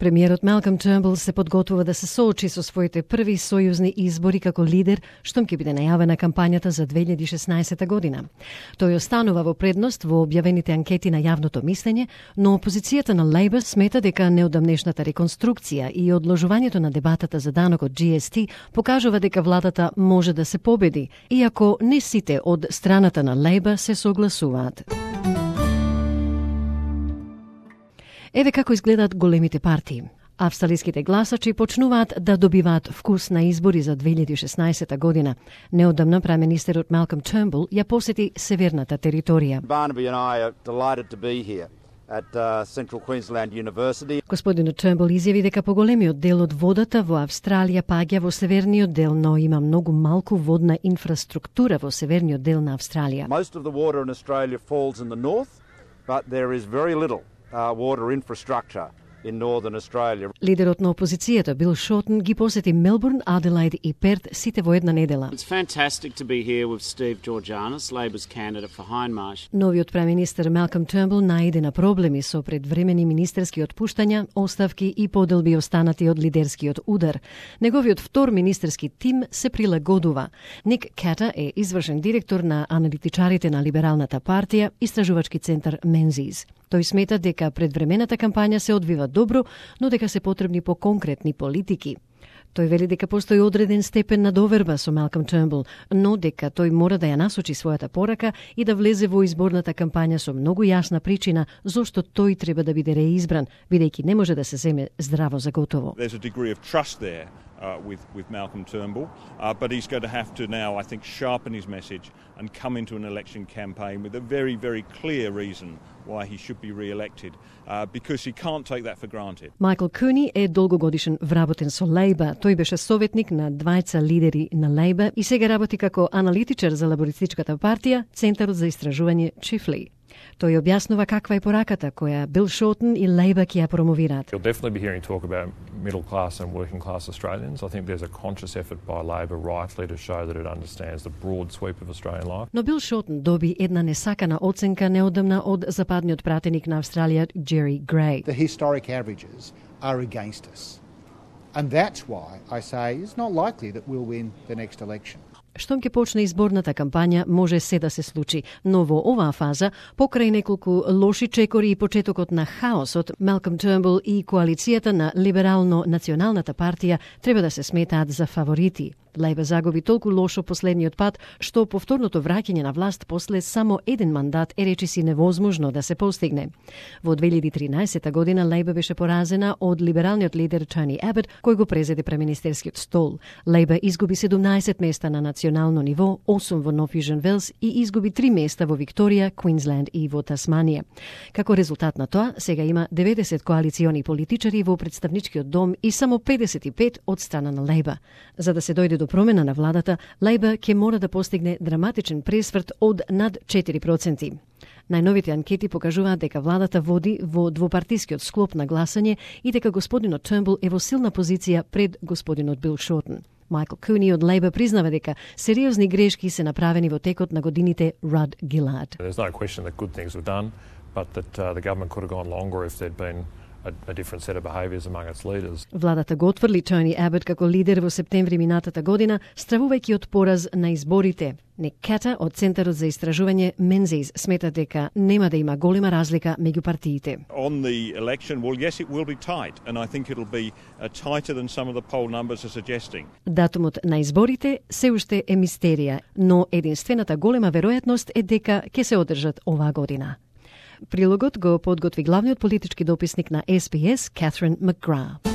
Премиерот Малком Тернбул се подготвува да се соочи со своите први сојузни избори како лидер, штом ќе биде најавена кампањата за 2016 година. Тој останува во предност во објавените анкети на јавното мислење, но опозицијата на Лейбор смета дека неодамнешната реконструкција и одложувањето на дебатата за данокот GST покажува дека владата може да се победи, иако не сите од страната на Лейбор се согласуваат. Еве како изгледаат големите партии. Австралиските гласачи почнуваат да добиваат вкус на избори за 2016 година. Неодамна премиерот Малком Тернбул ја посети северната територија. Barnaby and I are delighted to be here at Central Queensland University. Господинот Тернбул изјави дека поголемиот дел од водата во Австралија паѓа во северниот дел, но има многу малку водна инфраструктура во северниот дел на Австралија. Most of the water in Australia falls in the north, but there is very little water infrastructure in Northern Australia. Лидерот на опозицијата Бил Шотен ги посети Мелбурн, Аделаид и Перт сите во една недела. It's fantastic to be here with Steve Georgianis, Labor's candidate for Hindmarsh. Новиот премиер Малком Тернбул најде на проблеми со предвремени министерски отпуштања, оставки и поделби останати од лидерскиот удар. Неговиот втор министерски тим се прилагодува. Ник Ката е извршен директор на аналитичарите на Либералната партија, истражувачки центар Мензис. Тој смета дека предвремената кампања се одвива добро, но дека се потребни по-конкретни политики. Тој вели дека постои одреден степен на доверба со Малком Тернбул, но дека тој мора да ја насочи својата порака и да влезе во изборната кампања со многу јасна причина зошто тој треба да биде реизбран, бидејќи не може да се земе здраво за готово. There's a degree of trust there with Malcolm Turnbull, but he's going to have to now, I think, sharpen his message and come into an election campaign with a very, very clear reason why he should be re-elected, because he can't take that for granted. Майкл Куни е долгогодишен вработен со Лейбор. Тој беше советник на двајца лидери на Лейбор и сега работи како аналитичар за лабористичката партија, Центарот за истражување Чифли. Тој објаснува каква е пораката која Бил Шотен и Лейбор ќе ја промовираат. You'll definitely be hearing talk about middle class and working class Australians. I think there's a conscious effort by Labor rightly to show that it understands the broad sweep of Australian life. Но Бил Шотен доби една несакана оценка неодамна од западниот пратеник на Австралија Джери Грей. The historic averages are against us. And that's why I say it's not likely that we'll win the next election. Штом ќе почне изборната кампања, може се да се случи, но во оваа фаза, покрај неколку лоши чекори и почетокот на хаосот, Малком Тернбул и коалицијата на Либерално-националната партија треба да се сметаат за фаворити. Лейбор загуби толку лошо последниот пат, што повторното враќање на власт после само еден мандат е речиси невозможно да се постигне. Во 2013 година Лейбор беше поразена од либералниот лидер Тони Абот, кој го презеде премиерскиот стол. Лейбор изгуби 17 места на национално ниво, 8 во Нов Јужен Велс и изгуби 3 места во Викторија, Квинсленд и во Тасманија. Како резултат на тоа, сега има 90 коалициони политичари во представничкиот дом и само 55 од страна на Лейбор. За да се дојде до промена на владата, Лейбор ќе мора да постигне драматичен пресврт од над 4%. Најновите анкети покажуваат дека владата води во двопартискиот склоп на гласање и дека господинот Тернбул е во силна позиција пред господинот Бил Шотен. Майкл Куни од Лейбор признава дека сериозни грешки се направени во текот на годините Руд Гилард. There's no question that good things were done, but that the government could have gone longer if there'd been a different set of behaviours among its leaders. Владата го отфрли Тони Абот како лидер во септември минатата година, стравувајќи од пораз на изборите. Ник Ката од Центарот за истражување Мензис смета дека нема да има голема разлика меѓу партиите. On the election, well, yes, it will be tight, and I think it'll be tighter than some of the poll numbers are suggesting. Датумот на изборите се уште е мистерија, но единствената голема веројатност е дека ќе се одржат оваа година. Прилогот го подготви главниот политички дописник на SBS, Catherine McGrath.